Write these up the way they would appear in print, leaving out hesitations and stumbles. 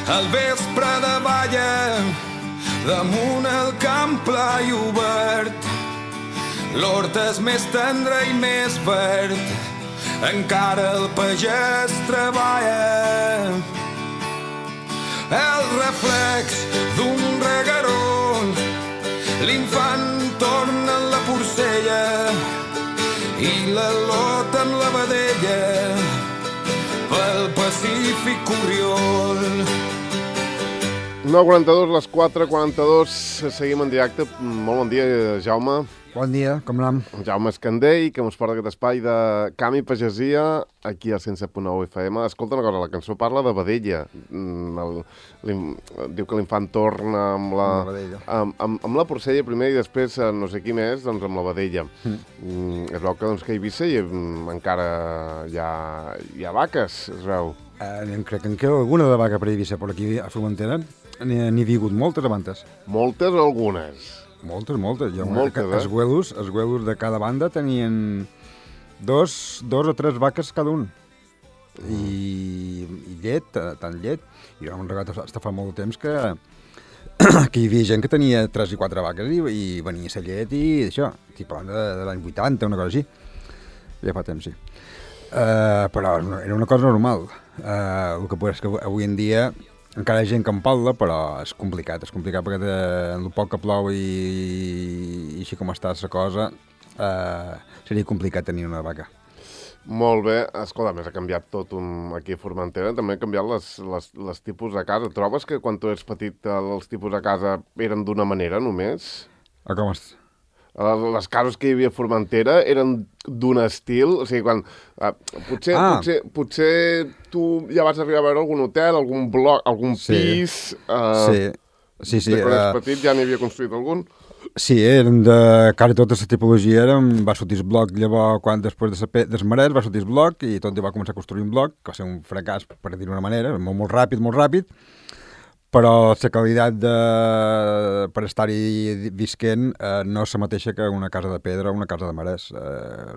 al vespre de balla, damunt el camp pla i obert. L'hort és més tendre i més verd, encara el pagès treballa. El reflex d'un regueró, l'infant torna en la porcella i la lot en la vedella pel Pacífic Oriol. 9:42, les 4:42, seguim en directe. Molt bon dia, Jaume. Bon dia, com anem? Jaume Escandell, que ens porta aquest espai de camp i pagesia aquí al 107.9 FM. Escolta una cosa, la cançó parla de vedella. Diu que l'infant torna amb amb la porcella primer i després no sé qui més, doncs amb la vedella. Es veu que, doncs, que a Eivissa encara hi ha vaques, es veu. Crec que en queda alguna de vaca per Eivissa, però aquí a Formentera n'hi ha vingut moltes abans. Moltes o algunes? Moltes. Els güelos de cada banda tenien dos o tres vaques cada un. I llet, tant llet. I jo m'he regat fins fa molt temps que hi havia gent que tenia 3 i 4 vaques i venia la llet i això. Estic parlant de l'any 80, una cosa així. Ja fa temps, sí. Però era una cosa normal. El que és que avui en dia encara hi ha gent que en parla, però és complicat perquè el poc que plou i així com està la cosa, seria complicat tenir una vaca. Molt bé. Escolta, més ha canviat tot aquí a Formentera, també han canviat les tipus de casa. Trobes que quan tu eres petit els tipus de casa eren d'una manera només? Com és? Les cases que hi havia a Formentera eren d'un estil, o sigui, quan... Potser tu ja vas arribar a veure algun hotel, algun bloc, algun pis... Sí. De quan eres petit ja n'hi havia construït algun? Sí, eren de quasi tota la tipologia, va sortir el bloc, llavors, quan després dels marès va sortir el bloc i tot va començar a construir un bloc, que va ser un fracàs, per dir-ho d'una manera, molt ràpid, però la qualitat per estar-hi visquent no és la mateixa que una casa de pedra o una casa de marès.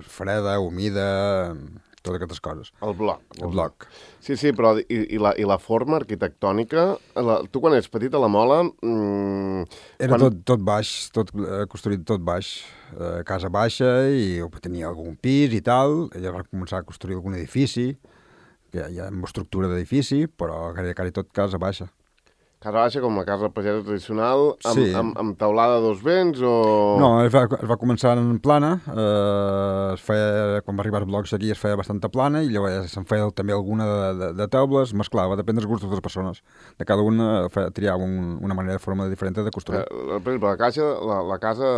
Freda, humida, totes aquestes coses. El bloc. El bloc. Sí, però i la forma arquitectònica? Tu quan ets petit a la Mola... Era tot baix, construït tot baix. Casa baixa i tenia algun pis i tal. Ella va començar a construir algun edifici, que hi ha una estructura d'edifici, però quasi tot casa baixa. Casa baixa com la casa pagesa tradicional, amb teulada a dos vents o...? No, es va començar en plana, quan va arribar els blocs aquí es feia bastanta plana i llavors se'n feia també alguna de teules, mesclava, depèn dels gustos de les persones. De cada una triava una manera de forma diferent de construir. Per exemple, la casa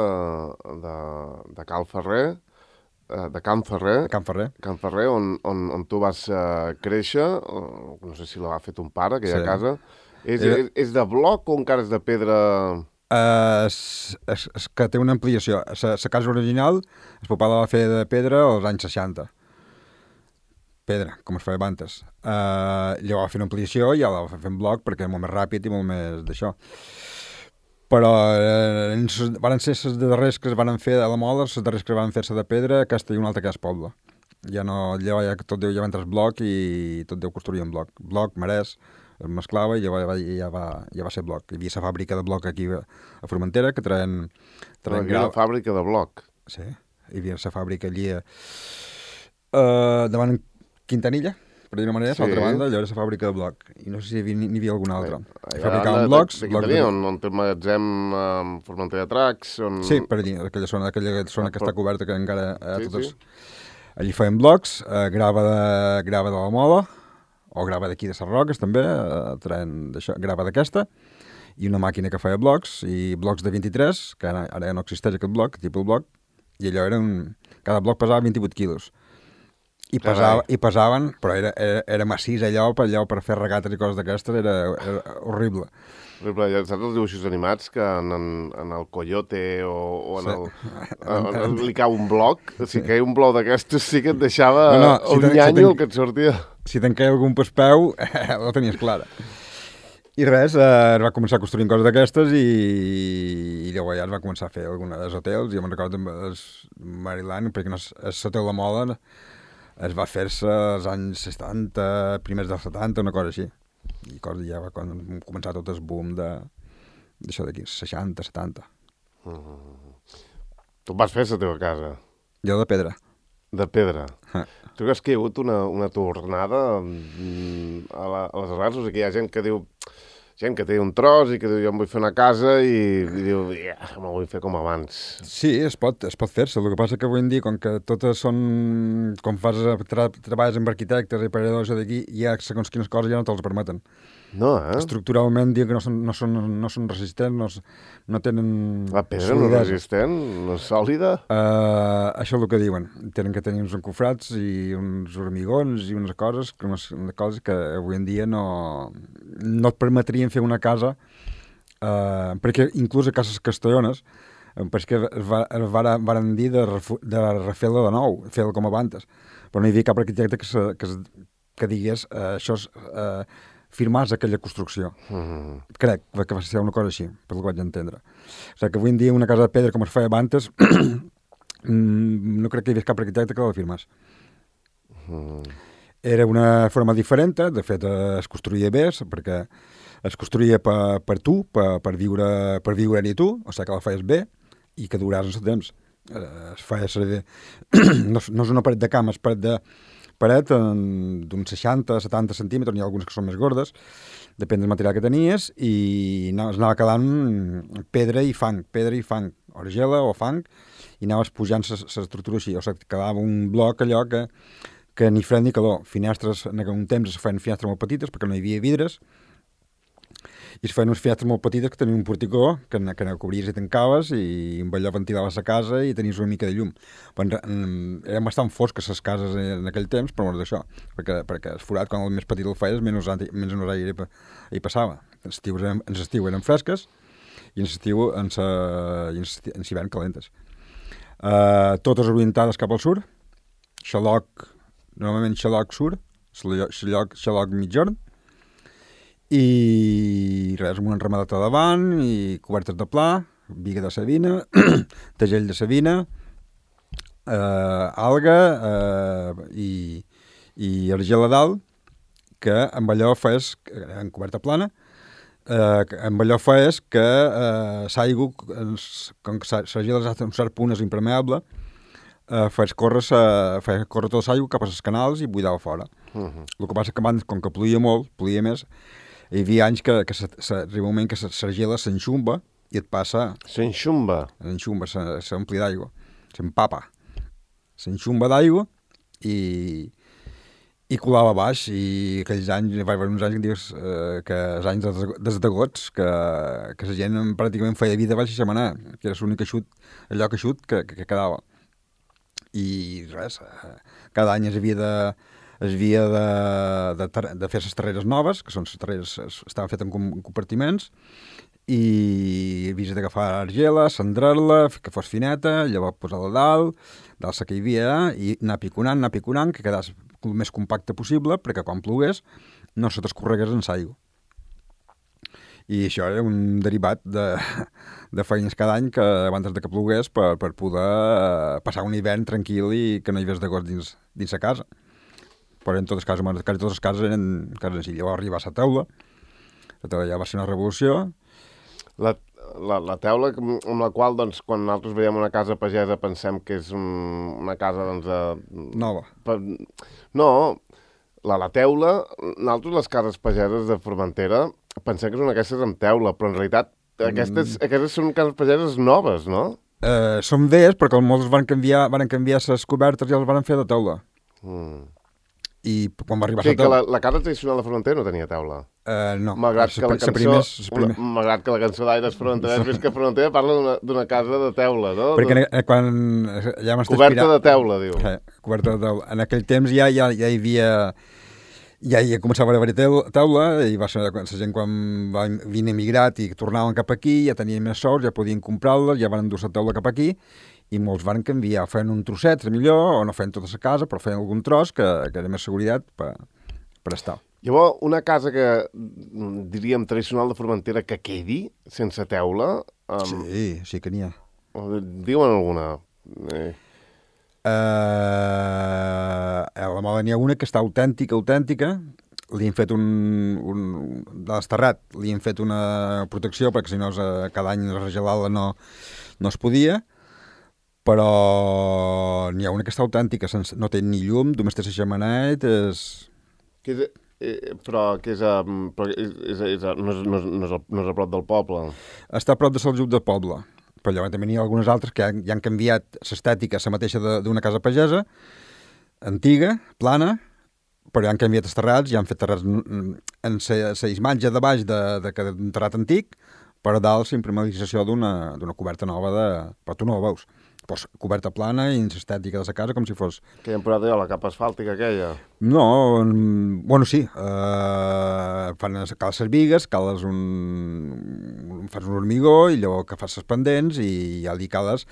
de Cal Ferrer, de Can Ferrer, on tu vas créixer, no sé si la va fet un pare, aquella casa... És de bloc o encara és de pedra? És que té una ampliació. La casa original, el papà la va fer de pedra als anys 60. Pedra, com es feia abans. Llavors va fer una ampliació i ja la va fer en bloc perquè és molt més ràpid i molt més d'això. Però van ser les darreres que es van fer a la Mola, les darreres que van fer-se de pedra, aquesta i una altra que és poble. Ja no, tot ja va entrar el bloc i tot deu construir en bloc. Bloc, marès, es mesclava i ja va ser bloc. Hi havia la fàbrica de bloc aquí a Formentera que traien grau. Fàbrica de bloc? Sí, hi havia la fàbrica allí davant Quintanilla, per dir-ho manera, a l'altra banda, allò era la fàbrica de bloc. I no sé si n'hi havia alguna altra. Fabricaven blocs. De Quintanilla, on té el magatzem Formentera Tracks? Sí, per allí, aquella zona que està coberta, que encara totes... Allí feien blocs, grava de la Mola, o grava d'aquí de les Roques també, grava d'aquesta, i una màquina que feia blocs, i blocs de 23, que ara ja no existeix aquest bloc, tipus bloc, i allò cada bloc pesava 28 quilos. I pesaven, però era massís allò per fer regates i coses d'aquestes, era horrible. Saps els dibuixos animats que en el Coyote o li cau un bloc? Si caia un bloc d'aquestos sí que et deixava un nyanyo el que et sortia. Si te'n caia algun pel peu, la tenies clara. I res, es va començar a construir coses d'aquestes i llavors ja es va començar a fer alguns hotels. Jo me'n recordo el Maryland, perquè l'hotel La Mola es va fer-se als anys 60, primers dels 70, una cosa així. I ja va quan hem començat tot el boom d'això d'aquí, 60, 70. Tu vas fer la teva casa? Jo de pedra. De pedra? Tu creus que hi ha hagut una tornada a les arrels? O sigui, hi ha gent que diu... Gent que té un tros i que diu, jo em vull fer una casa i diu, me'l vull fer com abans. Sí, es pot fer-se. El que passa que avui en dia, com que totes són... Com treballes amb arquitectes i paredors d'aquí, hi ha segons quines coses ja no te'ls permeten. No, Estructuralment, diu que no són resistents, no tenen... La pedra no és resistent? No és sòlida? Això és el que diuen. Tenen que tenir uns encofrats i uns hormigons i unes coses que avui en dia no et permetrien fer una casa, perquè inclús a cases castellones, perquè es varen dir de refer-la de nou, fer-la com abans. Però no hi havia cap arquitecte que digués això és... firmar aquella construcció. Crec que va ser una cosa així, per el que vaig entendre. O sigui que avui en dia una casa de pedra com es feia abans no crec que hi hagués cap arquitecte que la firmés. Era una forma diferent, de fet es construïa bé, perquè es construïa per tu, per viure-hi tu, o sigui que la feies bé i que duràs en el temps. Es feia servir... no és una paret de cama, és paret d'uns 60-70 centímetres, n'hi ha algunes que són més gordes, depèn del material que tenies, i es anava quedant pedra i fang, argila o fang, i anaves pujant l'estructura així, o sigui, quedava un bloc allò que ni fred ni calor. Finestres, en un temps es feien finestres molt petites perquè no hi havia vidres, i es feien unes finestres molt petites que tenien un porticó que cobries i tancaves i amb allò ventilaves la casa i tenies una mica de llum. Però eren bastant fosques les cases en aquell temps, però no és d'això, perquè el forat, quan el més petit el feies, menys aire hi passava. En l'estiu eren fresques i en l'hivern calentes. Totes orientades cap al sud, normalment xaloc sud, xaloc mitjorn, i res, amb una enramadeta davant i cobertes de pla, biga de savina, tegell de savina, alga i argila dalt, que amb allò fes, en coberta plana, amb allò fes que l'aigua, com que l'argila a un cert punt és impermeable, fes córrer tota l'aigua cap als canals i buidava fora. El que passa que abans, com que ploia molt, ploia més, hi havia anys que arriba un moment que l'argila s'enxumba i et passa... S'enxumba? S'ompli d'aigua, s'empapa. S'enxumba d'aigua i colava baix, i aquells anys, va haver uns anys que dius que els anys dels degots, que la gent pràcticament feia vida baix i setmanar, que era l'únic allò que quedava. I res, cada any es havia de fer les terreres noves, que són les terreres, estaven fetes en compartiments, i havies d'agafar argila, cendrar-la, que fos fineta, llavors posar-la dalt la que hi havia, i anar piconant, que quedés el més compacte possible, perquè quan plogués no se t'escorregués en l'aigua. I això era un derivat de feines cada any que abans de que plogués per poder passar un hivern tranquil i que no hi hagués d'agost dins la casa. Però en totes les cases eren cases així. Llavors arribar a la teula ja va ser una revolució. La teula amb la qual, doncs, quan nosaltres veiem una casa pagesa pensem que és una casa, doncs... Nova. No, la teula, nosaltres les cases pageses de Formentera pensem que són aquestes amb teula, però en realitat aquestes són cases pageses noves, no? Són velles, perquè molts van canviar les cobertes i els van fer de teula. I quan va arribar a la teula... la casa tradicional de Formentera no tenia teula? No. Malgrat que la cançó d'Aires Formenterès, ves que Formentera parla d'una casa de teula, no? Perquè quan... Coberta de teula, diu. Coberta de teula. En aquell temps ja hi havia... Ja començava a haver teula, i va ser la gent quan va venir emigrat i tornaven cap aquí, ja tenien més sous, ja podien comprar-la, ja van endur la teula cap aquí, i molts van canviar, feien un trosset, millor, o no feien tota la casa, però feien algun tros que era més seguretat per estar. Llavors, una casa que, diríem, tradicional de Formentera que quedi sense teula... Sí que n'hi ha. Diuen alguna? A la Mola n'hi ha una que està autèntica, li hem fet de l'esterrat, li hem fet una protecció, perquè si no cada any regelar-la no es podia, però n'hi ha una que està autèntica, no té ni llum, només té la xemenet, Però que no és a prop del poble. Està a prop de Saljup del poble. Però llavors també n'hi ha algunes altres que ja han canviat l'estètica, la mateixa d'una casa pagesa, antiga, plana, però ja han canviat els terrats, ja han fet terrats en la imatge de baix d'un terrat antic, però dalt la imprimatització d'una coberta nova, però tu no ho veus. Pues, coberta plana i l'estètica de la casa com si fos... Que hi han posat allò, la capa asfàltica aquella? No, bueno, sí. Cales les bigues, fas un hormigó i llavors que fas les pendents i ja li cales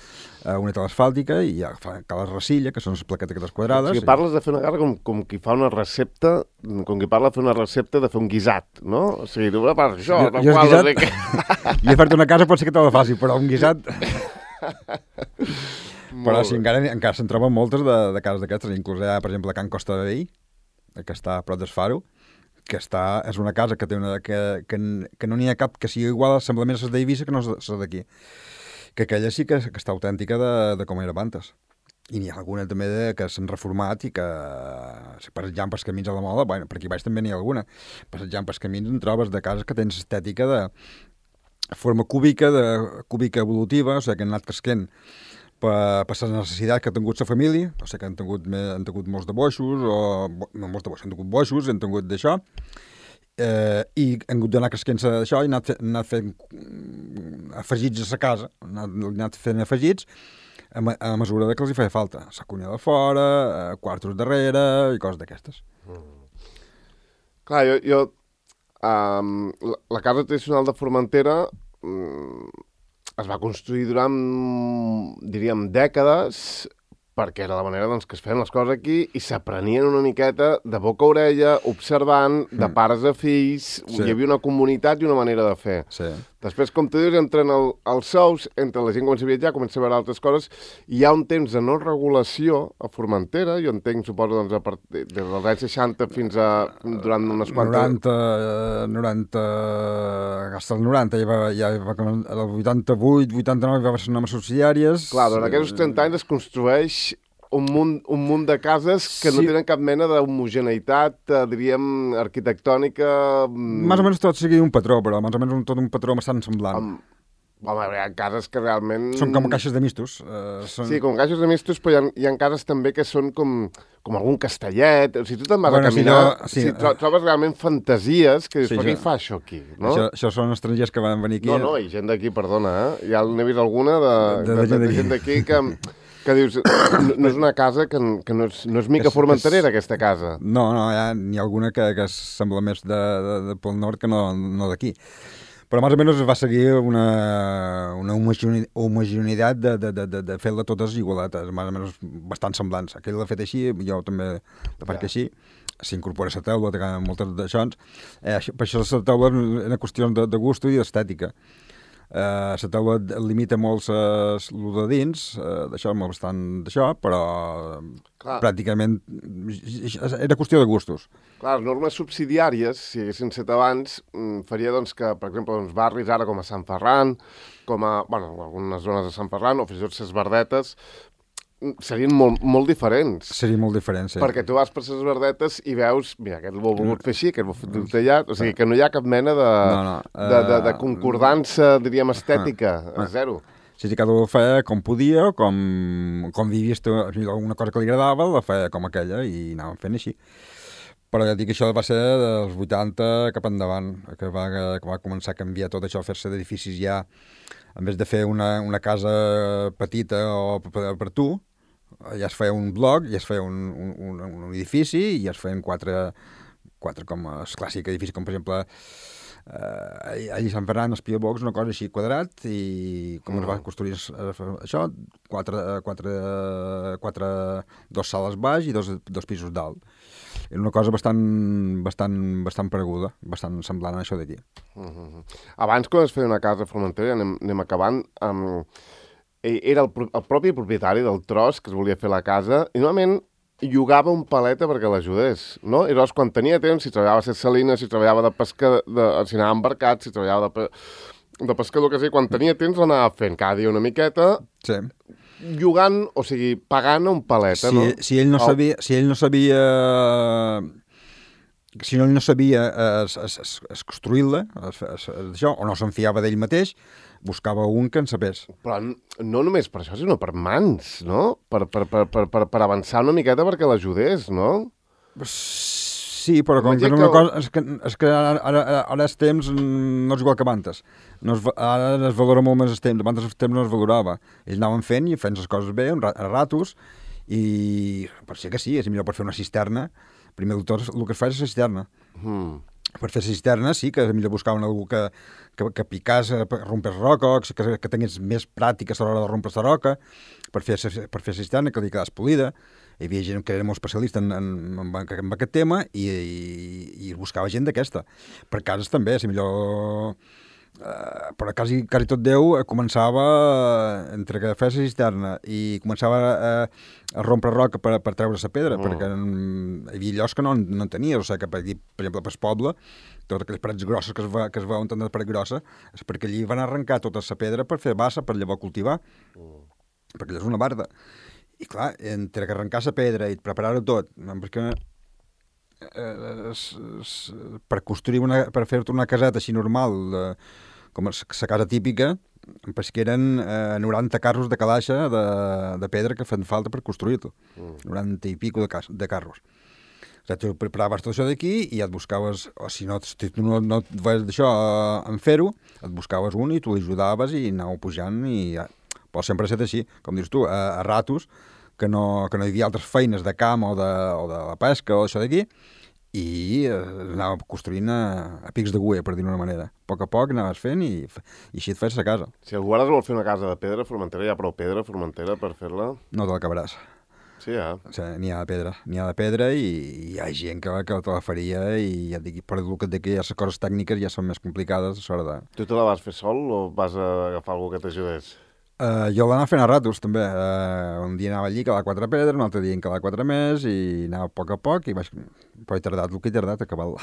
una tela asfàltica i ja cales racilla, que són les plaquetes aquestes quadrades. O sigui, parles de fer una casa com qui fa una recepta, com qui parla de fer una recepta de fer un guisat, no? O sigui, tu prepares això, jo guisat, i he fet una casa pot ser que te la faci, però un guisat... Però sí, encara se'n troben moltes de cases d'aquestes, inclús hi ha, per exemple, Can Costa de Vell, que està a prop d'Esfaro, que és una casa que té que no n'hi ha cap que sigui igual, sembla més a les d'Eivissa que no les d'aquí. Que aquella sí que està autèntica de com era abans. I n'hi ha alguna també que s'han reformat i que passejant pels camins a la moda, bueno, per aquí baix també n'hi ha alguna, passejant pels camins en trobes de cases que tens estètica de forma cúbica evolutiva, o sigui, que han anat cresquent per la necessitat que ha tingut la família, o sigui, que han tingut molts de boixos, no molts de boixos, han tingut boixos, han tingut d'això, i han hagut d'anar cresquent d'això i han anat fent afegits a la casa, han anat fent afegits a mesura que els hi feia falta. La cuina de fora, quartos darrere i coses d'aquestes. Clar, la casa tradicional de Formentera es va construir durant, diríem, dècades, perquè era la manera que es feien les coses aquí i s'aprenien una miqueta de boca a orella, observant, de pares a fills, hi havia una comunitat i una manera de fer. Sí. Després, com tu dius, entren els sous, entre la gent comença a viatjar, comença a veure altres coses, i hi ha un temps de no regulació a Formentera, jo entenc, suposo, doncs, des dels anys 60 fins a durant unes quantes... 90, hasta el 90, ja va el 88, 89 va ser nomes subsidiàries... Clar, durant aquests 30 anys es construeix un munt de cases que no tenen cap mena d'homogeneïtat, diríem, arquitectònica... Més o menys tot sigui un patró, però més o menys tot un patró bastant semblant. Home, hi ha cases que realment... Són com caixes de mistos. Sí, com caixes de mistos, però hi ha cases també que són com algun castellet. O sigui, tu te'n vas a caminar, trobes realment fantasies que dius, per què hi fa això aquí? Això són estrangers que van venir aquí. No, i gent d'aquí, perdona, ja n'he vist alguna de gent d'aquí que dius, no és una casa que no és mica formenterera, aquesta casa. No, n'hi ha alguna que sembla més de pel nord que no d'aquí. Però més o menys es va seguir una homogeneïtat de fer-la totes igualetes, més o menys bastant semblants. Aquell l'ha fet així, jo també la faig així. S'incorpora la taula, té moltes d'això. Per això la taula era qüestió de gust i d'estètica. La taula limita molt el de dins, d'això, bastant d'això, però pràcticament era qüestió de gustos. Clar, les normes subsidiàries, si haguessin set abans, faria doncs, que, per exemple, barris ara com a Sant Ferran, com a, algunes zones de Sant Ferran, o fins i tot les Verdetes, serien molt diferents. Serien molt diferents, sí. Perquè tu vas per les Verdetes i veus, mira, aquest l'ho ha volgut fer així, aquest l'ho ha fet tallat, o sigui que no hi ha cap mena de concordança, diríem, estètica, zero. Sí, cada un feia com podia, com vivia alguna cosa que li agradava, la feia com aquella i anàvem fent així. Però ja dic que això va ser dels 80 cap endavant, que va començar a canviar tot això, a fer-se d'edificis ja, en vez de fer una casa petita o per tu, ja es feia un bloc, ja es feia un edifici i ja es feien quatre com el clàssic edifici, com per exemple allà a Sant Ferran, Espia Box, una cosa així quadrat, i com es va construir això, dos sales baix i dos pisos dalt. Era una cosa bastant pareguda, bastant semblant a això d'aquí. Abans, quan es feia una casa a Formentera, anem acabant, era el propi propietari del tros que es volia fer la casa, i normalment llogava un paleta perquè l'ajudés, no? I llavors, quan tenia temps, si treballava a Ses Salines, si treballava de pesca, si anava embarcat, si treballava de pescador, que sí, quan tenia temps l'anava fent cada dia una miqueta, llogant, o sigui, pagant un paleta, no? Si ell no sabia construir-la, o no se'n fiava d'ell mateix, buscava un que en sapés. Però no només per això, sinó per mans, no? Per avançar una miqueta perquè l'ajudés, no? Sí, però com que una cosa... És que ara els temps no és igual que abans. Ara es valora molt més el temps. Abans el temps no es valorava. Ells anaven fent i fent les coses bé, a ratos, i per ser que sí, és millor per fer una cisterna. Primer de tot, el que es fa és la cisterna. Per fer la cisterna sí que és millor buscar algú que picàs, rompes roca, que tingués més pràctiques a l'hora de rompre la roca, per fer la cisterna, que li quedàs polida. Hi havia gent que era molt especialista en aquest tema i buscava gent d'aquesta. Per cases també, si millor... però quasi tot Déu començava, entre que feia la cisterna i començava a rompre roca per treure la pedra, perquè hi havia llocs que no en tenia, o sigui que, per exemple, pel poble, totes aquelles parets grosses que es veuen tant de paret grossa, és perquè allí van arrencar tota la pedra per fer bassa, per llavors cultivar, perquè allò és una barda. I clar, entre que arrencar la pedra i preparar-ho tot, perquè per construir per fer-te una caseta així normal, com la casa típica, que eren 90 carros de calaix de pedra que fan falta per construir-lo. 90 i pico de carros. O sigui, tu preparaves tot això d'aquí i et buscaves, o si no et veies d'això en fer-ho, et buscaves un i tu l'ajudaves i anàveu pujant i... Però sempre ha estat així, com dius tu, a ratos, que no hi havia altres feines de camp o de la pesca o això d'aquí, i anava construint a pics d'agulla, per dir-ho d'una manera. A poc anaves fent i així et fes la casa. Si algú ara es vol fer una casa de pedra Formentera, hi ha prou pedra Formentera per fer-la? No te l'acabaràs. Sí, ja. O sigui, n'hi ha de pedra i hi ha gent que te la faria i ja et dic, per el que et dic, ja les coses tècniques ja són més complicades a l'hora de... Tu te la vas fer sol o vas agafar algú que t'ajudés? Jo l'anava fent a ratos, també. Un dia anava allí, calar 4 pedres, un altre dia en calar 4 més, i anava a poc, i però he tardat el que he tardat a acabar-la.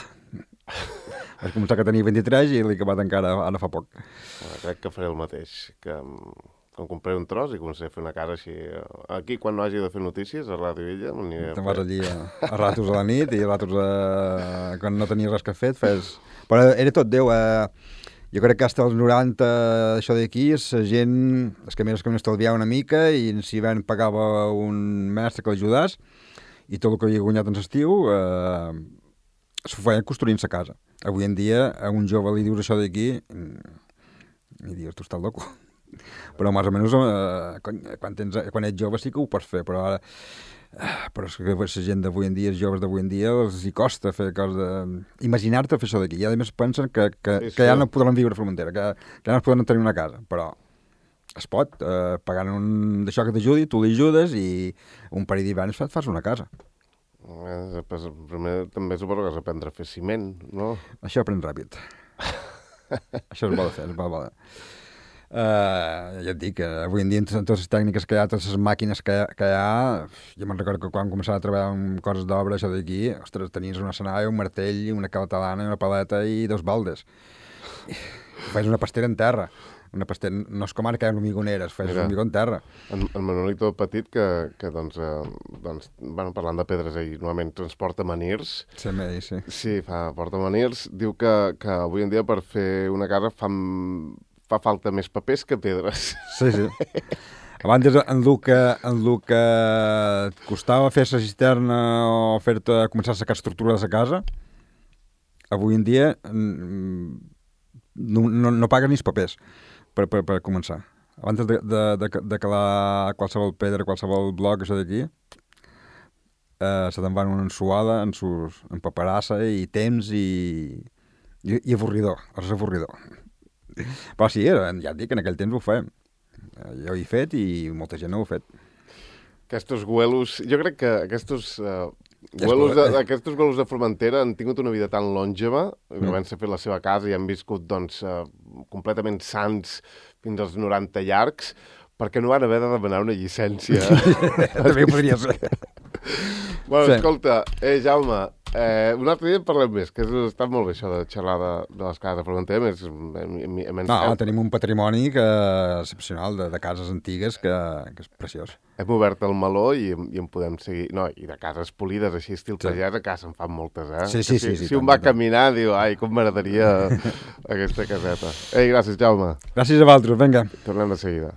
Vaig començar que tenia 23 i l'he acabat encara ara fa poc. Crec que faré el mateix, que em compraré un tros i començaré a fer una casa així. Aquí, quan no hagi de fer notícies, a Ràdio Illa, m'aniré a fer. Te'n vas allí a ratos a la nit i a ratos quan no tenies res que fet, fes... Però era tot Déu, jo crec que fins als 90, això d'aquí, la gent, els camins estalviava una mica i si ven pagava un mestre que l'ajudés i tot el que havia guanyat en l'estiu s'ho feien construint sa casa. Avui en dia, a un jove li dius això d'aquí i dius, tu estàs loco. Però més o menys quan ets jove sí que ho pots fer, però ara... Però és que la gent d'avui en dia, els joves d'avui en dia, els hi costa fer coses de... Imaginar-te fer això d'aquí. I a més pensen que ja no podran viure a Formentera, que ja no podran tenir una casa. Però es pot, pagant un d'això que t'ajudi, tu li ajudes i un parell d'hiverns et fas una casa. Primer també suposo que has d'aprendre a fer ciment, no? Això aprèn ràpid. Això es vol fer, es vol. Ja et dic, avui en dia amb totes les tècniques que hi ha, totes les màquines que hi ha, jo me'n recordo que quan començava a treballar amb coses d'obra, això d'aquí, ostres, tenies una senalla, un martell, una catalana, una paleta i 2 baldes. Fes una pastera en terra. Una pastera, no és com ara que hi ha hormigoneres, fes un hormigó en terra. En Manolito Petit, que bueno, parlant de pedres, ell normalment transporta manirs. Sí. Sí, porta manirs. Diu que avui en dia per fer una casa fa falta més papers que pedres. Sí. Abans en el que et costava fer la cisterna o començar a sacar estructura de la casa, avui en dia no pagues ni els papers per començar. Abans de calar qualsevol pedra, qualsevol bloc, això d'aquí, se te'n van una ensuada, en paperassa i temps i avorridor. És avorridor. Però sí, ja et dic, en aquell temps ho fèiem. Jo ho he fet i molta gent no ho ha fet. Aquests güelos, jo crec que aquests güelos de Formentera han tingut una vida tan lòngeva, que van fer la seva casa i han viscut completament sans fins als 90 llargs, perquè no van haver de demanar una llicència. També podria ser. Bueno, sí. Escolta, Jaume, un altre dia en parlem més, que està molt bé això de xerrar de les cases, però tenim un patrimoni excepcional de cases antigues que és preciós. Hem obert el meló i en podem seguir... No, i de cases polides, així, estil pagès, a casa en fan moltes, eh? Sí. Si un va caminar, diu, ai, com m'agradaria aquesta caseta. Ei, gràcies, Jaume. Gràcies a vosaltres, vinga. Tornem de seguida.